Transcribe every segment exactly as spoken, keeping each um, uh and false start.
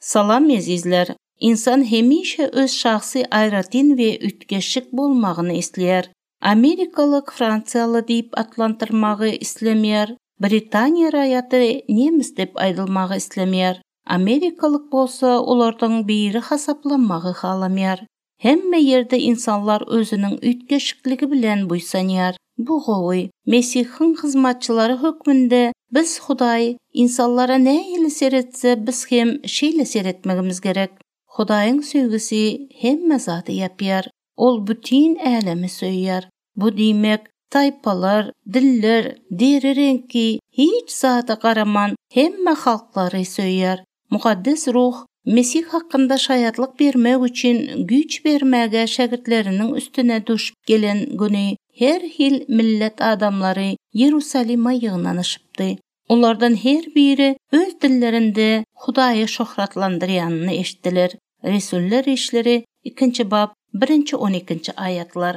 Salam ezizler. Insan hemişe öz şahsy aýratyn we üýtgeşik bolmagyny isleýär. Amerikalyk fransiýaly diýip atlandyrmagy islemeýär. Britaniýa raýaty nemes diýip aýdylmagy islemeýär. Amerikalyk bolsa olardan biri hasaplanmagy halamaýar. Hemme ýerde insanlar özüniň üýtgeşikligi bilen buýsanýar. Bu gowy. Mesihiň hyzmatçylary hökmünde biz Hudaý insanlara nähili seretse biz hem şeýle seretmegimiz gerek. Hudaýyň söýgüsi hemme zady ýapýar. Ol bütin älemi söýýär. Bu diýmek, taýpalar, diller, deri reňki hiç zada garaman hemme halklary söýýär. Mukaddes ruh Mesih hakynda şaýatlyk bermek üçin güýç bermäge şägirtleriniň üstüne düşüp gelen güni her hil millet adamlary Ýerusalime ýygnanyşypdy. Olardan her biri öz dillerinde Hudaýy şöhratlandyrýanyny eşitdiler. Resullar işleri ikinji bap birinji on ikinji aýatlar.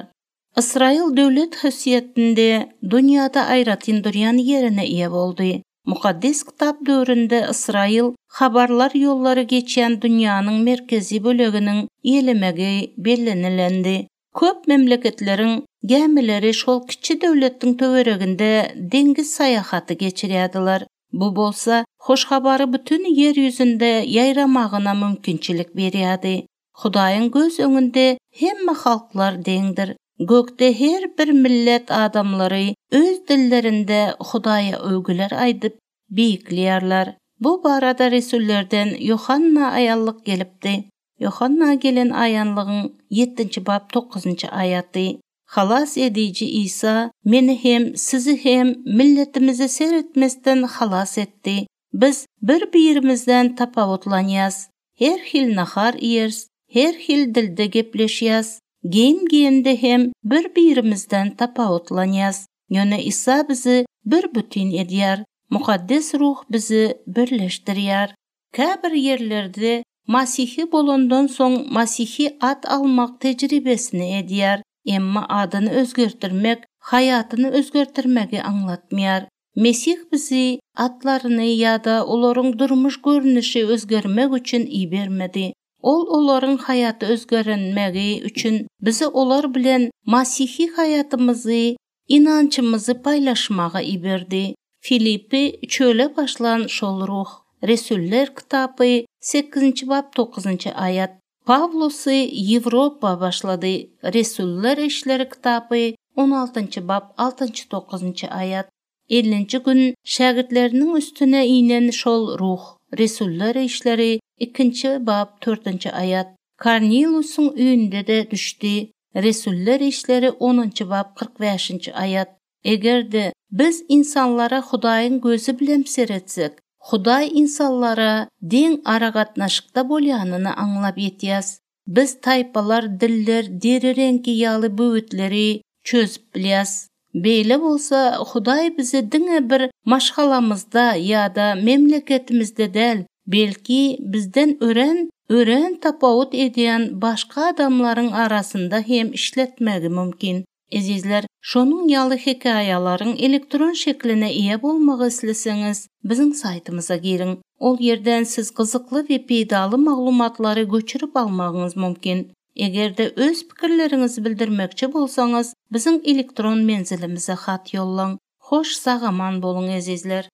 Ysraýyl döwlet häsiýetinde dünýäde aýratyn durýan ýerine eýe boldy. Mukaddes kitap döwründe Ysraýyl habarlar ýollary geçýän dünýäniň merkezi böleginiň ýelemegi bellenilendi. Köp memleketleriň gämileri şol kiçi döwletiň töwereginde deňiz saýahaty geçirýärdiler. Bu bolsa hoş habary bütün ýer ýüzünde ýaýramagyna mümkinçilik berýärdi. Hudaýyň göz öňünde hemme halklar deňdir. Gökde her bir millet adamlary öz dillerinde Hudaýa öwgüler aýdyp beýikleýärler. Bu barada Resullerden Ýohanna aýanlyk gelipdi. Ýohanna gelen aýanlygyň ýettinji bap dokuzynjy aýaty. Halas ediji Isa meni hem sizi hem milletimizi seretmezden halas etdi. Biz bir-birimizden tapawutlanýas. Her hil nahar iýeris, her hil dilde gepleşýäs. Geýim giýende hem bir-birimizden tapawutlanýas. Ýöne Isa bizi bir bütin edýär. Mukaddes ruh bizi birleşdirýär. Käbir ýerlerde Masihi bolandan soň Masihi at almak tejribesini edýär. Emma adyny özgertdirmek, haýatyny özgertdirmegi aňlatmaýar. Mesih bizi atlaryny ýa-da olaryň durmuş görnüşi özgermek üçin ibermedi. Ol olaryň haýaty özgerenmegi üçin bizi olar bilen Masihi haýatymyzy, inançymyzy paýlaşmaga iberdi. Filipi çöle başlan şol ruh. Resuller kitabı sekizinji bap dokuzynjy aýat. Pawlusy Ýewropa başlady. Resuller işleri kitabı on altynjy bap altynjy dokuzynjy aýat. Ellinji gün şägirtleriniň üstüne inen şol ruh. Resuller işleri ikinji bap dördünji aýat. Korneliusyň öýünde de düşdi. Resuller işleri onunjy bap kyrk bäşinji aýat. Eger-de biz insanlara Hudaýyň gözi bilen seretsek, Hudaý insanlara deň aragatnaşykda bolýanyny aňlap ýetýäs. Biz taýpalar, diller, deri reňki ýaly böwetleri çözüp bilýäs. Beýle bolsa Hudaý bizi diňe bir maşgalamyzda ýa-da memleketimizde däl, belki bizden ören, ören tapawut edýän başga adamlaryň arasynda hem işletmegi mümkin. Ezizler, şonuň ýaly hekaýalaryň elektron şekline eýe bolmagy isleseňiz, biziň saýtymyza giriň. Ol ýerden siz gyzykly we peýdaly maglumatlary göçürip almagyňyz mümkin. Eger-de öz pikirleriňizi bildirmekçi bolsaňyz, biziň elektron menzilimize hat ýollaň. Hoş sag aman boluň ezizler.